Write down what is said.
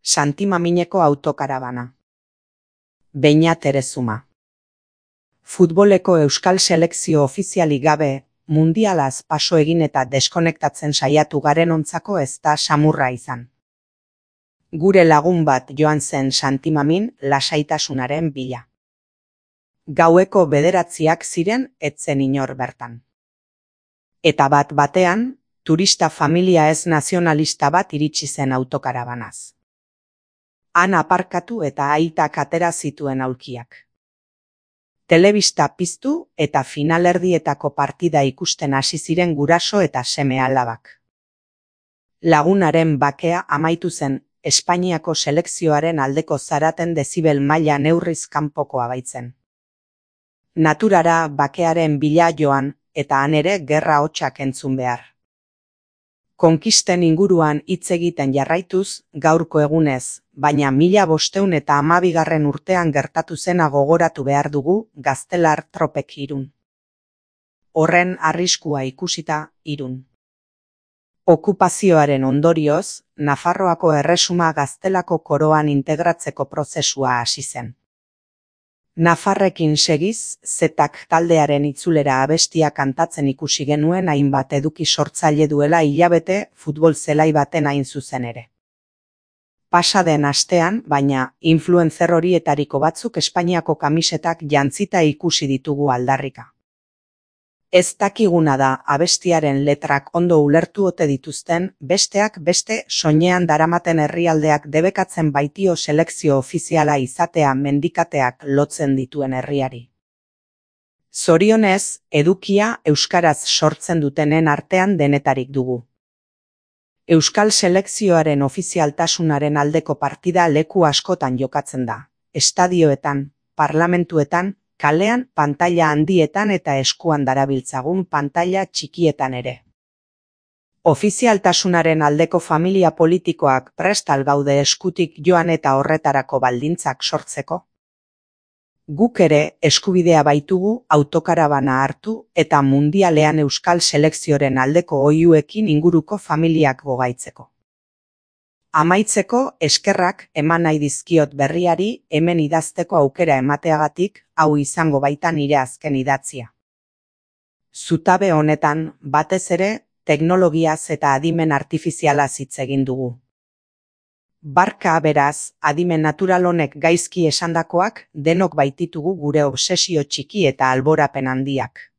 Santimamineko autokarabana. Beñat Erezuma. Futboleko euskal selekzio ofizialik gabe, mundialaz paso egin eta deskonektatzen saiatu garenontzako ez da samurra izan. Gure lagun bat joan zen Santimamin lasaitasunaren bila. Gaueko 9 ziren etzen inor bertan. Eta bat-batean, turista familia ez nazionalista bat iritsi zen autokarabanaz. Han aparkatu eta aitak atera zituen aulkiak. Telebista piztu eta finalerdietako partida ikusten hasi ziren guraso eta seme-alabak. Lagunaren bakea amaitu zen Espainiako selekzioaren aldeko zaraten dezibel maila neurriz kanpokoa baitzen. Naturara bakearen bila joan eta han ere gerra hotsak entzun behar. Konkisten inguruan hitz egiten jarraituz, gaurko egunez, baina 1512 urtean gertatu zena gogoratu behar dugu Gaztelar tropek Irun. Horren arriskua ikusita Irun. Okupazioaren ondorioz, Nafarroako erresuma Gaztelako koroan integratzeko prozesua hasi zen. Nafarrekin segiz, Zetak taldearen itzulera abestia kantatzen ikusi genuen hainbat eduki sortzaile duela hilabete futbol zelai baten hain zuzen ere. Pasa den astean, baina, influencer horietariko batzuk Espainiako kamisetak jantzita ikusi ditugu aldarrika. Ez dakiguna da abestiaren letrak ondo ulertu ote dituzten, besteak beste soinean daramaten herrialdeak debekatzen baitio selekzio ofiziala izatea mendikateak lotzen dituen herriari. Zorionez, edukia euskaraz sortzen dutenen artean denetarik dugu. Euskal selekzioaren ofizialtasunaren aldeko partida leku askotan jokatzen da. Estadioetan, parlamentuetan, kalean, pantaila handietan eta eskuan darabiltzagun pantaila txikietan ere. Ofizialtasunaren aldeko familia politikoak prest al gaude eskutik joan eta horretarako baldintzak sortzeko? Guk ere eskubidea baitugu autokarabana hartu eta mundialean euskal selekzioren aldeko oihuekin inguruko familiak gogaitzeko. Amaitzeko eskerrak eman nahi dizkiot berriari hemen idazteko aukera emateagatik, hau izango baita nire azken idatzia. Zutabe honetan, batez ere, teknologiaz eta adimen artifizialaz hitz egin dugu. Barka beraz, adimen natural honek gaizki esandakoak denok baititugu gure obsesio txiki eta alborapen handiak.